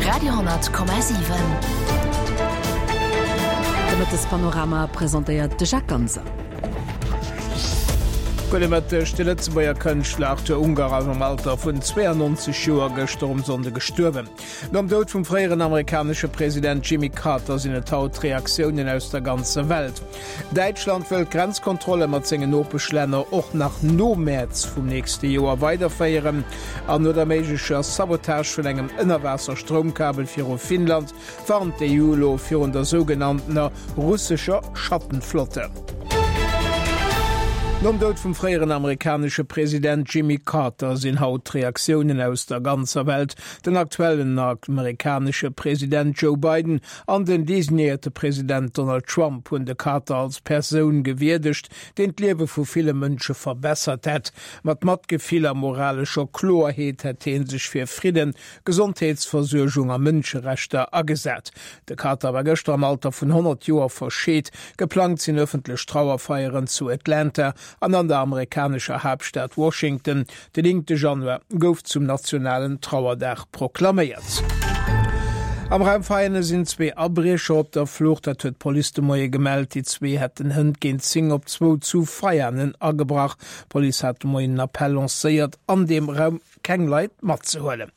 Radio,7. De Mëttespanorama presentéiert de Jacques Ganser. Gudde Mëtteg, De Lëtzebuerger Kënschtler Arthur Ungar ass am Alter vun 92 Joer gëschter um Sonnde gestuerwen. Nom Doud vum fréieren amerikanesche President Jimmy Carter sinn et haut Reaktiounen aus der ganzer Welt. Däitschland wëll d'Grenzkontrolle mat sengen Nopeschlänner och nach no Mäerz vum nächste Joer weiderféieren. An no der méiglecher Sabotage vun engem Ënnerwaasser-Stroumkabel viru Finnland warnt d'EU elo virun der sougenanntener russescher Schattenflotte. Nom Doud vum fréieren amerikanesche President Jimmy Carter sinn haut d'Reaktiounen aus der ganzer Welt. Den aktuellen amerikanesche President Joe Biden an den designéierte President Donald Trump hunn de Carter als Persoun gewierdegt, deen d'Liewe vu ville Mënsche verbessert hätt. Mat Matgefill a moralescher Kloerheet hätt hie sech fir Fridden, Gesondheetsversuergung a Mënscherechter agesat. De Carter war gëschter am Alter vun 100 Joer verscheet. Geplangt sinn ëffentlech Trauerfeieren zu Atlanta an an der amerikanescher Haaptstad Washington. Den 9 Januar gouf zum nationalen Trauerdag proklaméiert. Am Raum Veianen sinn zwee Abriecher op der Flucht, dat huet d'Police de Moie gemellt. Déi zwee hätten hënt géint 10 op zwou zu Veianen agebrach. D'Police hat de Moien en Appell lancéiert, an deem Raum keng Leit matzehuelen.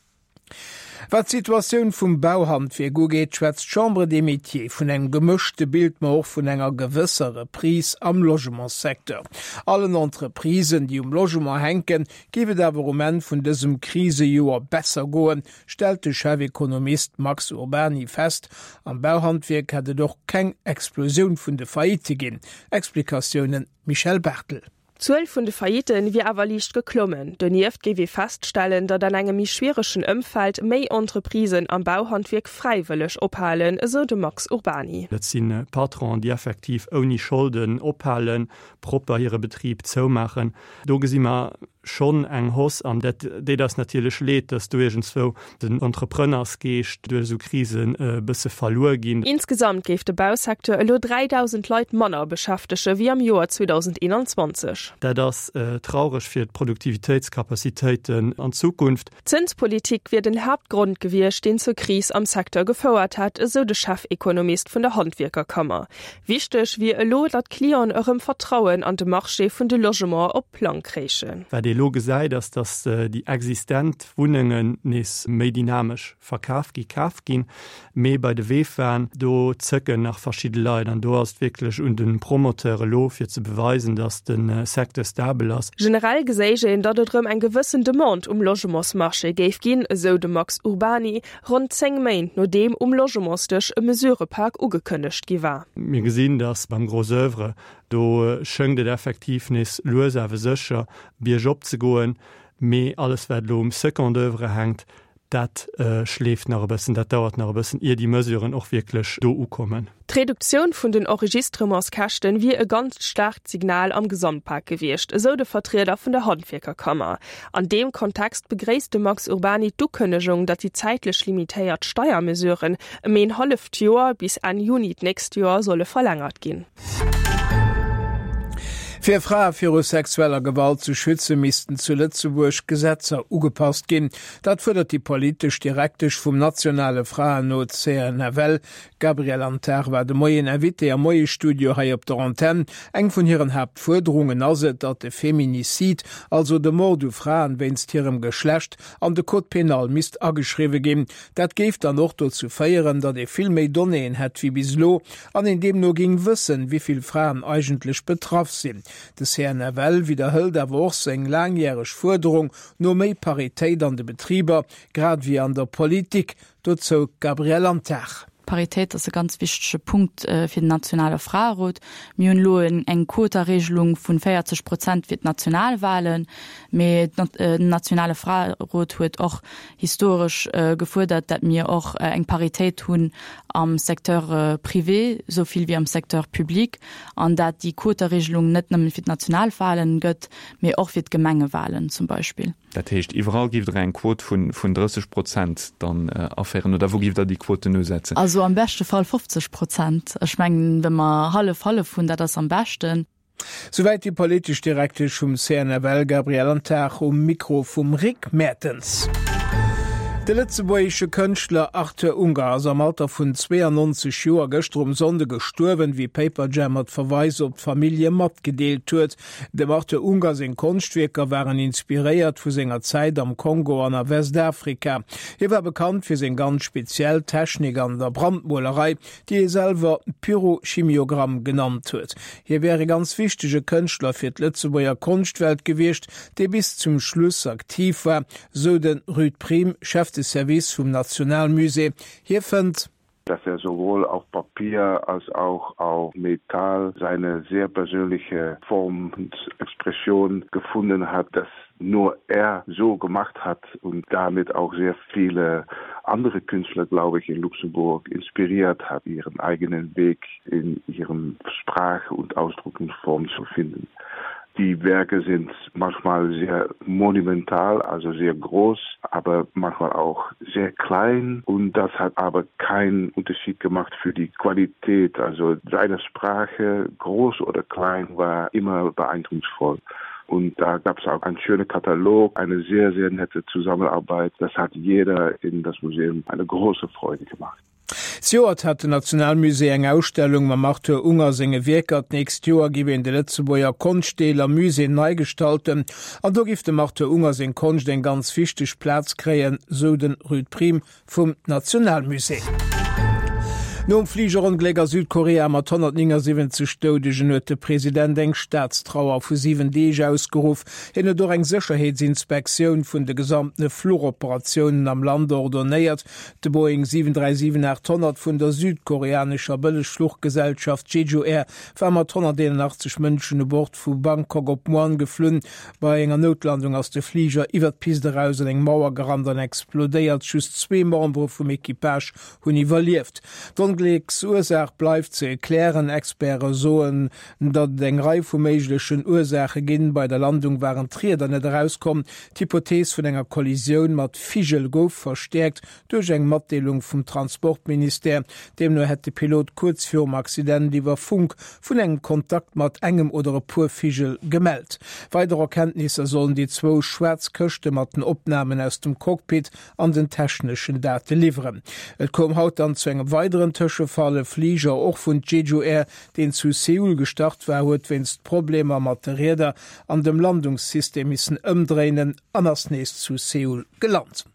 Wat d'Situatioun vum Bauhandwierk ugeet, schwätzt d'Chambre des Métiers vun engem gemëschte Bild, ma och vun enger gewësser Reprise am Logementssecteur. Allen Entreprisen, déi um Logement hänken, géif et awer um Enn vun dësem Krisejoer besser goen, stellt de Chefekonomist Max Urbany fest. Am Bauhandwierk hätt et och keng Explosioun vun de Faillitte ginn. Explikatiounen Michèle Barthel. D'Zuel vun de Faillitten wier awer liicht geklommen. Donieft géif ee feststellen, datt an engem méi schwieregen Ëmfeld méi Entreprisen am Bauhandwierk fräiwëlleg ophalen, esou de Max Urbany. Dat si Patronen, déi effektiv ouni Scholden ophalen, propper hire Betrib zoumaachen. Do gesi mer schonn eng Hausse an dat deet eis natierlech leed, dass do iergendzwou den Entrepreneursgeescht duerch esou Krisen e bësse verluer ginn. Insgesamt géif de Bausecteur elo 3.000 Leit manner beschäftege wéi am Joer 2021. Dat ass traureg fir d'Produktivitéitscapacitéiten an Zukunft. D'Zënspolitik wier den Haaptgrond gewiescht, deen zur Kris am Secteur gefouert hätt, esou de Chefekonomist vun der Handwierkerkammer. Wichteg wier elo, datt d'Clienten erëm Vertrauen an de Marché vun de Logementen op Plang kréichen. Wat ee elo gesäit, ass, datt déi existent Wunnengen nees méi dynamesch verkaf gi, kaf ginn. Mee bei de Vefaen, do zëcken nach verschidde Leit an do ass et wierklech un de Promoteur elo, fir ze beweisen, datt de Secteur stabel ass. Generell geséich een, datt et erëm eng gewëssen Demande um Logementsmarché géif ginn, esou de Max Urbany, ronn 10 Méint nodeem um Logementsdësch e Mesurëpak ugekënnegt gi war. Mir gesinn, datt beim Gros oeuvre, do schëngt et effektiv nees lues awer sécher biergop ze goen, mee alles wat elo um Second oeuvre hänkt, Dat schleeft nach e bëssen, dat dauert nach e bëssen, ier déi Mesuren och wierklech do ukommen. D'Reduktioun vun den Enregistrementskäschten wier e ganzt staarkt Signal am Gesamtpak gewiescht, esou de Vertrieder vun der Handwierkerkammer. An deem Kontext begréisst de Max Urbany d'Ukënnegung, datt déi zäitlech limitéiert Steiermesuren ëm een halleft Joer, bis Enn Juni d'nächst Joer, solle verlängert ginn. Fir Frae viru sexueller Gewalt ze schützen, missten zu Lëtzebuerg Gesetzer ugepasst ginn. Dat fuerdert déi politesch Direktesch vum nationale Fraenot CNFL. D'Gabrielle Antar war de Moien Invitée am Moie-Studio hei op der Antenn. Eng vun hiren Haaptfuerderungen ass et, datt de Feminicide, also de Mord u Fraen wéinst hirem Geschlecht, an de Code pénal misst ageschriwwe ginn. Dat géif dann och dozou féieren, datt ee vill méi Donnéeën hätt wéi bis elo an een deemno géing wëssen, wéi vill Fraen eigentlech betraff sinn. De CNFL widderhëlt awer och seng laangjäreg Fuerderung no méi Paritéit an de Betriber, grad ewéi an der Politik. Dozou d'Gabrielle Antar. Paritéit ass e ganz wichtege Punkt fir den nationale Fraerot. Mir hunn elo eng Quotaregelung vun 40 Prozent fir d'Nationalwahlen, mee den nationale Fraerot huet och historesch gefuerdert, dat mir och eng Paritéit hunn am Secteur privé esou vill wéi am Secteur public an dat déi Quotaregelung net nëmmen fir d'Nationalwahlen gëtt, mee och fir d'Gemengewahlen zum Beispill. Dat heescht, iwwerall giff Der eng Quot vun 30 Prozent dann aféieren, oder wou giff Der déi Quoten usetzen? Also am beschte Fall 50 Prozent. Ech mengen, wa mer hallef-hallef hunn, dat ass am beschten. Souwäit déi politesch Direktesch vum CNFL Gabrielle Antar um Mikro vum Rick Mertens. De lëtzebuergesche Kënschtler Arthur Unger ass am Alter vun 92 Joer gëschter um Sonnde gestuerwen, wéi Paperjam mat Verweis op d'Famillje matgedeelt huet. Dem Arthur Unger seng Konschtwierker waren inspiréiert vu senger Zäit am Kongo an a Westafrika. Hie war bekannt fir seng ganz speziell Technik an der Brandmolerei, déi hie selwer Pyrochimiogramm genannt huet. Hie wär e ganz wichtege Kënschtler fir d'Lëtzebuerger Konschtwelt gewiescht, dee bis zum Schluss aktiv war, sou de Ruud Priem, Chef de Service vum Nationalmusée. Hie fënnt. Dass er sowohl auf Papier als auch auf Metall seine sehr persönliche Form und Expression gefunden hat, das nur er so gemacht hat und damit auch sehr viele andere Künstler, glaube ich, in Luxemburg inspiriert hat, ihren eigenen Weg in ihrem Sprache und Ausdrucksform zu finden. Die Werke sind manchmal sehr monumental, also sehr groß, aber manchmal auch sehr klein und das hat aber keinen Unterschied gemacht für die Qualität. Also seine Sprache, groß oder klein, war immer beeindrucksvoll. Und da gab es auch einen schönen Katalog, eine sehr, sehr nette Zusammenarbeit. Das hat jeder in das Museum eine große Freude gemacht. Zejoert hat den Nationalmusée eng Ausstellung mam Arthur Unger senge Wierker. D'nächst Joer giff een de Lëtzebuerger Konschtdeel am Musée nei gestalten an do giff dem Arthur Unger seng Konscht eng ganz wichteg Plaz kréien, sou de Ruud Priem vum Nationalmusée. Nom Fligerongléck a Südkorea mat 179 Doudegen huet de President eng Staatstrauer vu 7 Deeg ausgeruff. Hien huet och eng Sécherheetsinspektioun vun de gesamtene Fluchoperatiounen am Land ordonéiert. De Boeing 737-800 vun der südkoreanescher Bëllegfluchgesellschaft Jeju Air war mat 181 Mënschen u Bord vu Bangkok op Muan geflunn. Bei enger Noutlandung ass de Fliger iwwer d'Pist eraus an eng Mauer gerannt an explodéiert. Just zwee Membere vum Equipage hunn iwwerlieft. D'Onglécksursaach bleift ze klären. Experte soen, datt et eng Rei vu méiglechen Ursaache ginn. Bei der Landung waren d'Rieder net erauskomm. D'Hypothees vun enger Kollisioun mat Vigel gouf verstäerkt duerch eng Matdeelung vum Transportministère. Deemno hätt de Pilot kuerz virum Accident iwwer Funk vun engem Kontakt mat engem oder e puer Vigel gemellt. Weider Erkenntnisser sollen déi zwou schwaarz Këschte mat den Opnamen aus dem Cockpit an den techneschen Date liwweren. Et koum haut dann zu engem weideren Tëschefall. E Fliger, och vun Jeju Air, deen zu Seoul gestart war, huet wéinst Problemer mat de Rieder an dem Landungssystem missen ëmdréinen an ass nees zu Seoul gelant.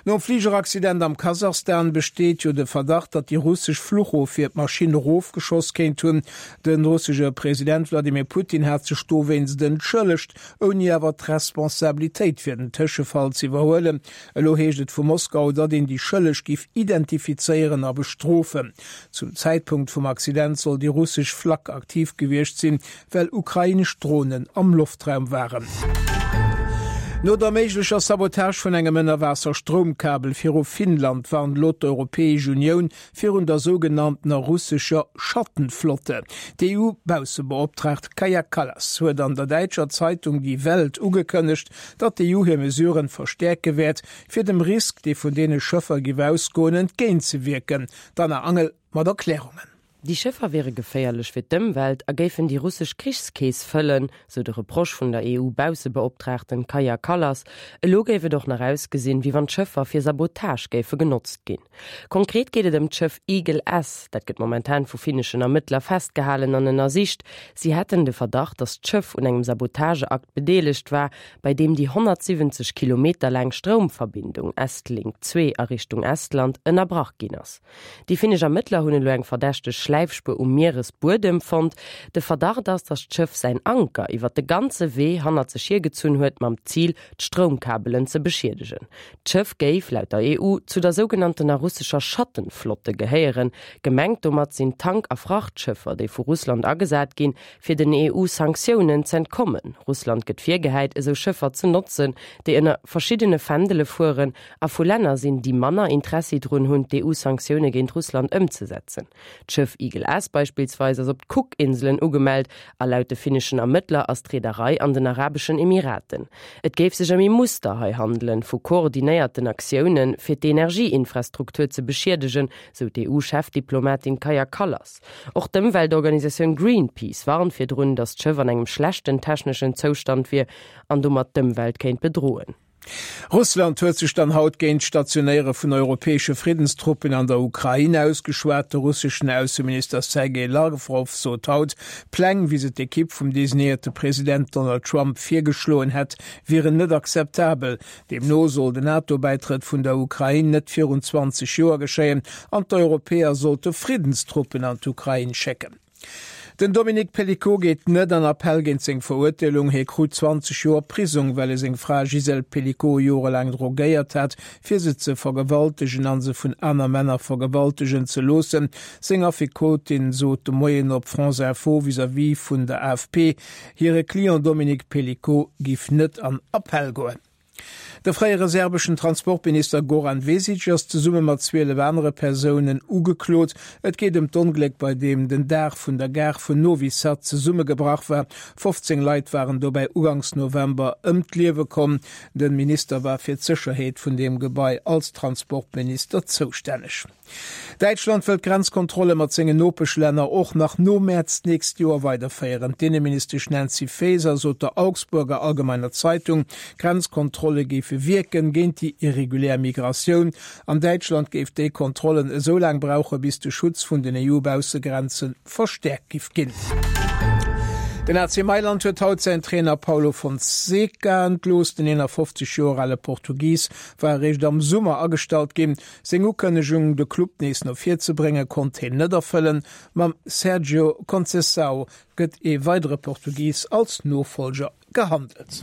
Nom Fligeraccident am Kasachstan besteet jo de Verdacht, datt déi russesch Fluchofwier d'Maschinn erofgeschoss kéint hunn. De russesche President Wladimir Putin hat sech dowéinst entschëllegt, ouni awer d'Responsabilitéit fir den Tëschefall ze iwwerhuelen. Elo heescht et vu Moskau, datt een déi Schëlleg giff identifizéieren a bestrofen. Zum Zäitpunkt vum Accident soll déi russesch Flak aktiv gewiescht sinn, well ukrainesch Dronen am Loftraum waren. No der méiglecher Sabotage vun engem Ënnerwaasser-Stroumkabel viru Finnland warnt elo d'Europäesch Unioun virun der sougenanntener russescher Schattenflotte. D'EU-Baussebeoptraagt Kaja Kallas huet an der däitscher Zeitung Die Welt ugekënnegt, datt d'EU hir Mesuren verstäerke wäert, fir dem Risk, dee vun deene Schëffer giff ausgoen, entgéintzewierken. D'Anna Angel mat Erklärungen. Déi Schëffer wiere geféierlech fir d'Ëmwelt a géifen déi russesch Krichskeess fëllen, sou de Reproche vun der EU-Baussebeoptraagten Kaja Kallas. Elo géif et och nach ausgesinn, wéi wann d'Schëffer fir Sabotage géife genotzt ginn. Konkret geet et ëm d'Schëff Eagle S. Dat gëtt momentan vu finneschen Ermëttler festgehalen an ënnersicht. Si hätten de Verdacht, datt d'Schëff un engem Sabotageakt bedeelegt war, bei deem déi 170 Kilometer laang Stroumverbindung Estlink 2 a Richtung Estland ënnerbrach ginn ass. Déi finnesch Ermëttler hunn elo eng verdächteg Schläifspuer um Mieresbuedem fonnt. De Verdacht ass, datt d'Schëff säin Anker iwwer de ganze Wee hannert sech hiergezunn huet, mam Zil, d'Stroumkabelen ze beschiedegen. D'Schëff géif, laut der EU, zu der sougenanntener russescher Schattenflotte gehéieren. Gemengt domat sinn Tank a Frachtschëffer, déi vu Russland agesat ginn, fir den EU-Sanktiounen z'entkommen. Russland gëtt virgehäit, esou Schëffer ze notzen, déi ënner verschiddene Fändele fueren a vu Länner sinn, déi manner Interessi drun hunn, d'EU-Sanktioune géint Russland ëmzesetzen. D'Schëff Eagle S beispillsweis ass op d'Cook-Inselen ugemellt a laut de finneschen Ermëttler ass d'Reederei an den Arabeschen Emiraten. Et géif sech ëm ee Muster hei handelen, vu koordinéierten Aktiounen, fir d'Energieinfrastruktur ze beschiedegen, sou d'EU-Chefdiplomatin Kaja Kallas. Och d'Ëmweltorganisatioun Greenpeace warnt virdrun, datt d'Schëff an engem schlechten techneschen Zoustand wier an domat d'Ëmwelt kéint bedroen. Russland huet sech dann haut géint d'Stationéiere vun europäesche Friddenstruppen an der Ukrain ausgeschwat. De russeschen Ausseminister Sergei Lawrow sot haut, d'Pläng, wéi se d'Ekipp vum designéierte President Donald Trump virgeschloen hätt, wieren net akzeptabel. Deemno soll den NATO-Bäitrëtt vun der Ukrain net virun 20 Joer geschéien an d'Europäer sollte Friddenstruppen an d'Ukrain schécken. Den Dominique Pelicot geet net an Appell géint seng Verurteelung. Hie krut 20 Joer Prisong, well e seng Fra Gisèle Pelicot jorelaang drogéiert hat, fir se ze vergewaltegen a se vun aner Männer vergewaltegen ze loossen. Seng Affekotin sot de Moien op France Info vis-à-vis vun der AFP, hire Client Dominique Pelicot giff net an Appell goen. De fréiere serbeschen Transportminister Goran Vesic ass zesumme mat 12 anere Persounen ugeklot. Et geet ëm d'Ongléck, bei deem den Daach vun der Gare vun Novi Sad zesummegebrach war. 15 Leit waren dobäi uganks November ëm d'Liewe komm. De Minister war fir d'Sécherheet vun deem Gebai als Transportminister zoustänneg. Däitschland wëll d'Grenzkontrolle mat sengen Nopeschlänner och nach no Mäerz d'nächst Joer weiderféieren. D'Inneministesch Nancy Faeser sot der Augsburger Allgemeiner Zeitung, d'Grenzkontrolle géife wierken géint déi irregulär Migratioun. An Däitschland géif déi Kontrollen esou laang brauche bis de Schutz vun den EU-Baussegrenze verstäerkt giff ginn. Den AC Mailand huet haut säin Trainer Paulo Fonseca entlooss. Den 51 Joer ale Portugis war eréischt am Summer agestallt ginn. Seng Ukënnegung, de Club nees no vir ze bréngen, konnt hien net erfëllen. Mam Sergio Conceição gëtt ee weidere Portugis als Nofollger gehandelt.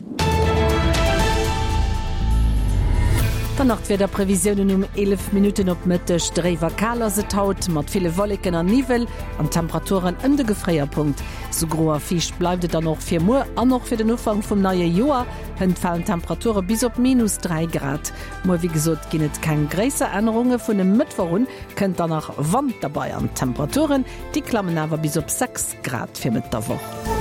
Dann nach d'Wiederprevisiounen um 11 Minutten op Mëtteg. Dréif a kal ass et haut, mat ville Wolleken an Niwwel an Temperaturen ëm de Gefréierpunkt. Sou gro a fiicht bleift et dann och fir muer an och fir den Ufank vum neie Joer. Hënt falen d'Temperature bis op minus 3 Grad. Muer wéi gesot ginn et keng gréisser Ännerunge, vun e Mëttwoch un kënnt dann nach Wand derbei an d'Temperaturen déi klammen awer bis op 6 Grad fir Mëtt der Woch.